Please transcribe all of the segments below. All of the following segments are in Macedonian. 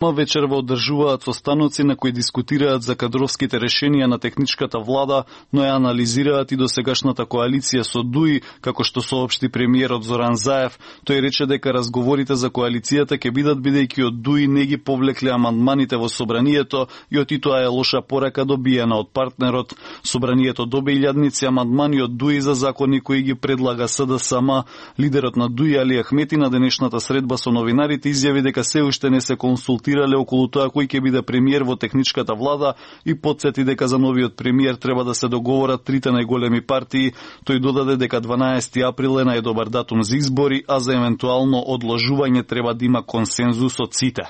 Вечерва одржуваат состаноци на кои дискутираат за кадровските решенија на техничката влада, но ја анализираат и досегашната коалиција со ДУИ, како што соопшти премиерот Зоран Заев. Тој рече дека разговорите за коалицијата ќе бидат бидејќи од ДУИ не ги повлекле амандманите во собранието и тоа е лоша порака добиена од партнерот. Собранието доби илјадници амандмани од ДУИ за закони кои ги предлага СДСМ. Лидерот на ДУИ Али Ахмети на денешната средба со новинарите изјави дека се уште не се консултирале околу тоа кој ќе биде премиер во техничката влада и потсети дека за новиот премиер треба да се договорат трите најголеми партии. Тој додаде дека 12 април е најдобар датум за избори, а за евентуално одложување треба да има консензус од сите.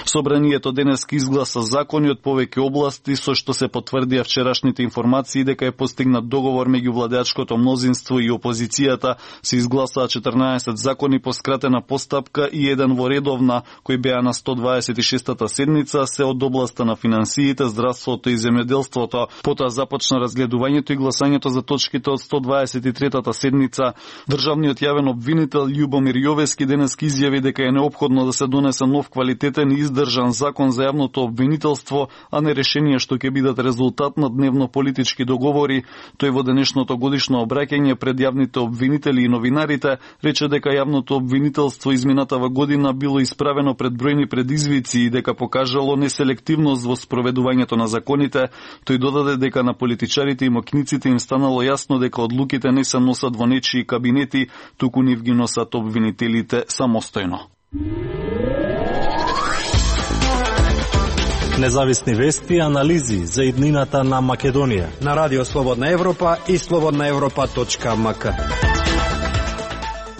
Собранието денеска изгласа закони од повеќе области, со што се потврдија вчерашните информации дека е постигнат договор меѓу владеачкото мнозинство и опозицијата. Се изгласаа 14 закони по скратена постапка и еден во редовна, кои беа на 126-та седница, се од областа на финансиите, здравството и земјоделството. Потоа започна разгледувањето и гласањето за точките од 123-та седница. Државниот јавен обвинител Љубомир Јовески денеска изјави дека е неопходно да се донесе нов квалитетен и издржан закон за јавното обвинителство, а не решенија што ќе бидат резултат на дневно-политички договори. Тој во денешното годишно обраќање пред јавните обвинители и новинарите рече дека јавното обвинителство изминатава година било исправено пред бројни предизвици и дека покажало неселективност во спроведувањето на законите. Тој додаде дека на политичарите и мокниците им станало јасно дека одлуките не се носат во нечии кабинети, туку нив ги носат обвинителите самостојно. Независни вести и анализи за иднината на Македонија на Радио Слободна Европа и slobodnaevropa.mk.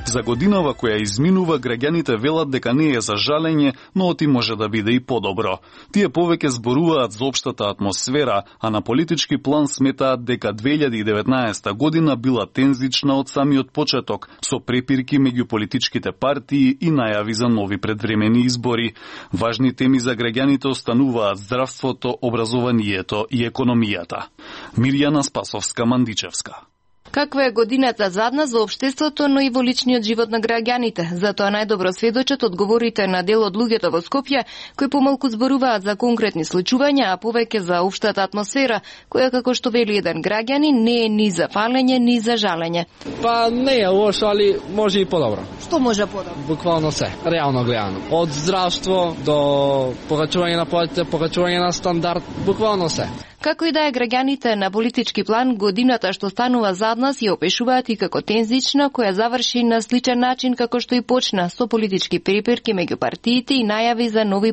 За годинава која изминува, граѓаните велат дека не е за жалење, но оти може да биде и подобро. Тие повеќе зборуваат за општата атмосфера, а на политички план сметаат дека 2019 година била тензична од самиот почеток, со препирки меѓу политичките партии и најави за нови предвремени избори. Важни теми за граѓаните остануваат здравството, образованието и економијата. Мирјана Спасовска-Мандичевска. Каква е годината задна за општеството, но и во личниот живот на граѓаните? Затоа најдобро сведочат одговорите на дел од луѓето во Скопје, кои помалку зборуваат за конкретни случувања, а повеќе за општата атмосфера, која, како што вели еден граѓанин, не е ни за фалење, ни за жалење. Па не е лошо, али може и подобро. Што може подобро? Буквално се, реално гледано. Од здравство до покачување на платите, покачување на стандард, буквално се. Како и да е, граѓаните на политички план годината што станува задна си опишуваат и како тензична, која заврши на сличен начин како што и почна, со политички препирки меѓу партиите и најави за нови